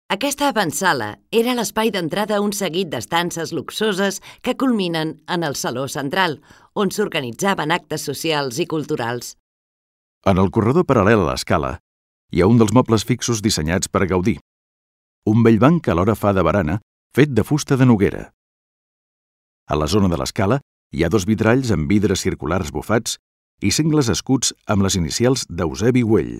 Aquesta avantsala era l'espai d'entrada a un seguit d'estances luxoses que culminen en el saló central, on s'organitzaven actes socials i culturals. En el corredor paral·lel a l'escala hi ha un dels mobles fixos dissenyats per Gaudí. Un vell banc que alhora fa de barana, fet de fusta de noguera. A la zona de l'escala hi ha 2 vitralls amb vidres circulars bufats i sengles escuts amb les inicials d'Eusebi Güell.